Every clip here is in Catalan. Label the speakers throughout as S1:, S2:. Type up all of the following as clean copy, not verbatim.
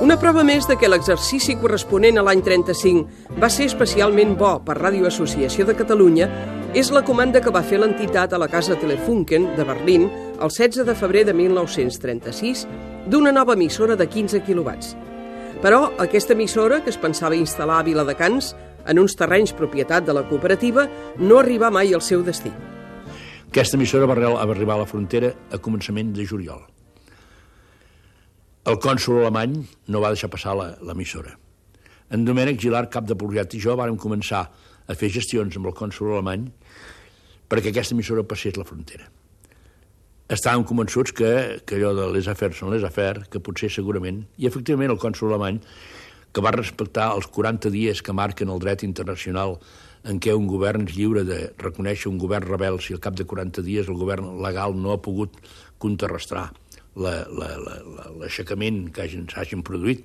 S1: Una prova més de que l'exercici corresponent a l'any 35 va ser especialment bo per Ràdio Associació de Catalunya és la comanda que va fer l'entitat a la Casa Telefunken de Berlín el 16 de febrer de 1936 d'una nova emissora de 15 quilowatts. Però aquesta emissora, que es pensava instal·lar a Viladecans, en uns terrenys propietat de la cooperativa, no arribà mai al seu destí.
S2: Aquesta emissora va arribar a la frontera a començament de juliol. El cònsol alemany no va deixar passar l'emissora. En Domènec Gilart, cap de Porriat, i jo vàrem començar a fer gestions amb el cònsol alemany perquè aquesta emissora passés la frontera. Estàvem convençuts que allò de les affaires són les affaires, que potser segurament, i efectivament el cònsol alemany, que va respectar els 40 dies que marquen el dret internacional en què un govern és lliure de reconèixer un govern rebel si al cap de 40 dies el govern legal no ha pogut contrarrestar l'aixecament que s'hagin produït.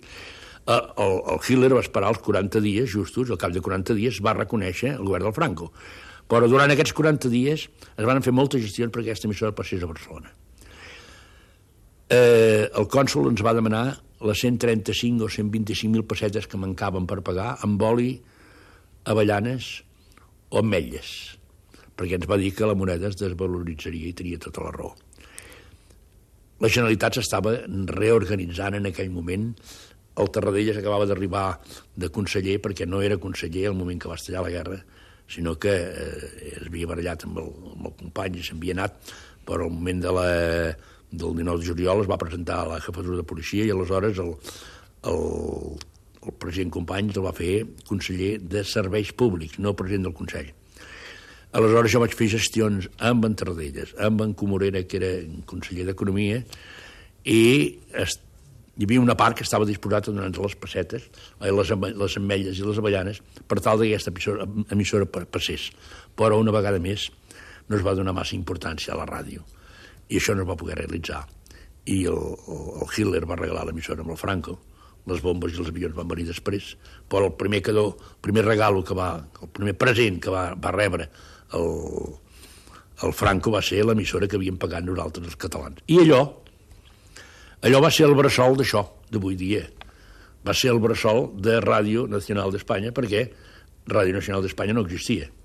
S2: El Hitler va esperar els 40 dies justos, al cap de 40 dies va reconèixer el govern del Franco. Però durant aquests 40 dies es van fer moltes gestions perquè aquesta emissora passés a Barcelona. El cònsol ens va demanar les 135 o 125.000 pessetes que mancaven per pagar amb oli, avellanes o ametlles, perquè ens va dir que la moneda es desvaloritzaria i tenia tota la raó. La Generalitat s'estava reorganitzant en aquell moment. El Tarradellas acabava d'arribar de conseller, perquè no era conseller al moment que va estallar la guerra, sinó que es havia barallat amb el company i s'havia anat, però al moment del 19 de juliol es va presentar a la jefatura de policia i aleshores el president Companys el va fer conseller de Serveis Públics, no president del Consell. Aleshores jo vaig fer gestions amb en Tarradellas, amb en Comorera, que era conseller d'Economia, i hi havia una part que estava disposada a donar-nos les pessetes, les ametlles i les avellanes, per tal que aquesta emissora passés. Però una vegada més no es va donar massa importància a la ràdio, i això no es va poder realitzar. I el Hitler va regalar l'emissora amb el Franco, les bombes i els avions van venir després, però el primer regalo el primer present que va rebre el Franco va ser l'emissora que havíem pagat nosaltres els catalans. I allò va ser el bressol d'això, d'avui dia. Va ser el bressol de Ràdio Nacional d'Espanya, perquè Ràdio Nacional d'Espanya no existia.